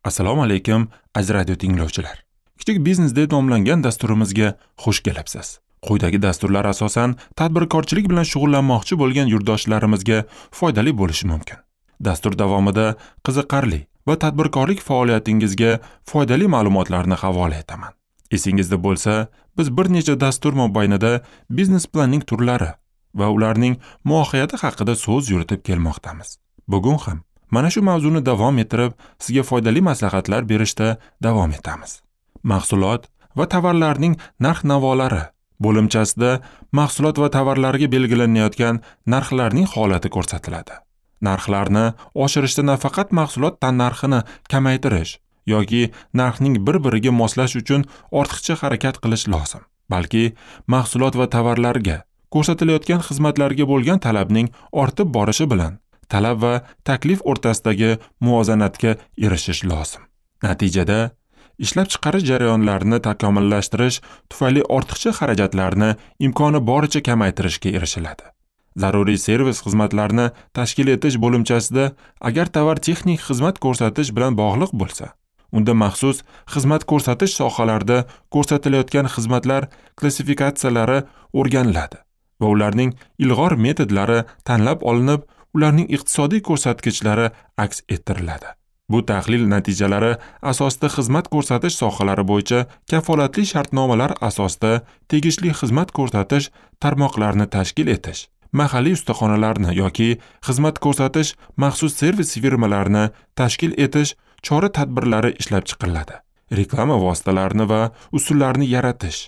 Assalomu alaykum, aziz radio tinglovchilar. Kichik biznes deb nomlangan dasturimizga xush kelibsiz. Quyidagi dasturlar asosan tadbirkorchilik bilan shug'ullanmoqchi bo'lgan yurtdoshlarimizga foydali bo'lishi mumkin. Dastur davomida qiziqarli va tadbirkorlik faoliyatingizga foydali ma'lumotlarni havola etaman. Esingizda bo'lsa, biz bir necha dastur mobaynida biznes planning turlari va ularning mohiyati haqida so'z yuritib kelmoqdamiz. Bugun ham mana shu mavzuni davom ettirib, sizga foydali maslahatlar berishda davom etamiz. Mahsulot va tovarlarning narx-navolari bo'limchasida mahsulot va tovarlarga belgilanayotgan narxlarning holati ko'rsatiladi. Narxlarni oshirishda nafaqat mahsulot tannarxini kamaytirish yoki narxning bir-biriga moslash uchun ortiqcha harakat qilish lozim, balki mahsulot va tovarlarga ko'rsatilayotgan xizmatlarga bo'lgan talabning ortib borishi bilan talab va taklif o'rtasidagi muvozanatga erishish lozim. Natijada ishlab chiqarish jarayonlarini takomillashtirish tufayli ortiqcha xarajatlarni imkoni boricha kamaytirishga erishiladi. Zaruriy servis xizmatlarini tashkil etish bo'limchasida agar tovar texnik xizmat ko'rsatish bilan bog'liq bo'lsa, unda maxsus xizmat ko'rsatish sohalarida ko'rsatilayotgan xizmatlar klassifikatsiyalari o'rganiladi va ularning ilg'or metodlari tanlab olinib, ularning iqtisodiy ko'rsatkichlari aks ettiriladi. Bu tahlil natijalari asosida xizmat ko'rsatish sohalari bo'yicha kafolatli shartnomalar asosida tegishli xizmat ko'rsatish tarmoqlarini tashkil etish, mahalliy ustaxonalarni yoki xizmat ko'rsatish maxsus servis firmalarini tashkil etish chora-tadbirlari ishlab chiqiladi. Reklama vositalarini va usullarini yaratish.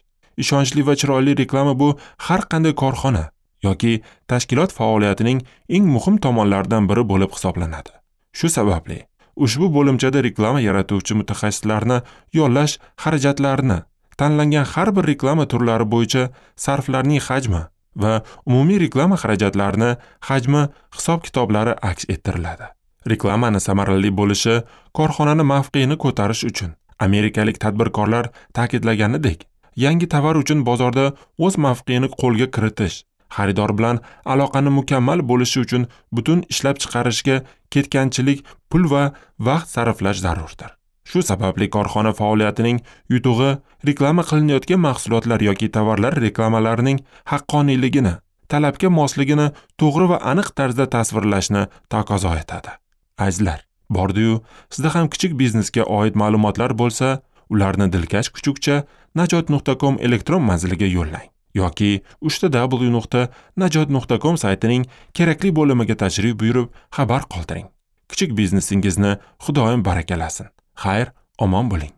Ishonchli va chiroyli reklama bu har qanday korxona yoki tashkilot faoliyatining eng muhim tomonlaridan biri bo'lib hisoblanadi. Shu sababli ushbu bo'limchada reklama yaratuvchi mutaxassislarni yollash xarajatlarini, tanlangan har bir reklama turlari bo'yicha sarflarning hajmi va umumiy reklama xarajatlarini hajmi hisob-kitoblari aks ettiriladi. Reklamani samarali bo'lishi korxonani mavqeini ko'tarish uchun amerikalik tadbirkorlar ta'kidlaganidek, yangi tovar uchun bozorda o'z mavqeini qo'lga kiritish, xaridor bilan aloqani mukammal bo'lishi uchun butun ishlab chiqarishga ketganchilik pul va vaqt sarflash zarurdir. Shu sababli korxona faoliyatining yutug'i reklama qilinayotgan mahsulotlar yoki tovarlar reklamalarining haqqoniyligini, talabga mosligini to'g'ri va aniq tarzda tasvirlashni taqozo etadi. Azizlar, bordi-yu, sizda ham kichik biznesga oid ma'lumotlar bo'lsa, ularni dilkash kuchukcha najot.com elektron manziliga yo'llang yoki www.najot.com saytining kerakli bo'limiga tashrif buyurib xabar qoldiring. Kichik biznesingizni Xudoyim barakalasin. Xayr, omon bo'ling.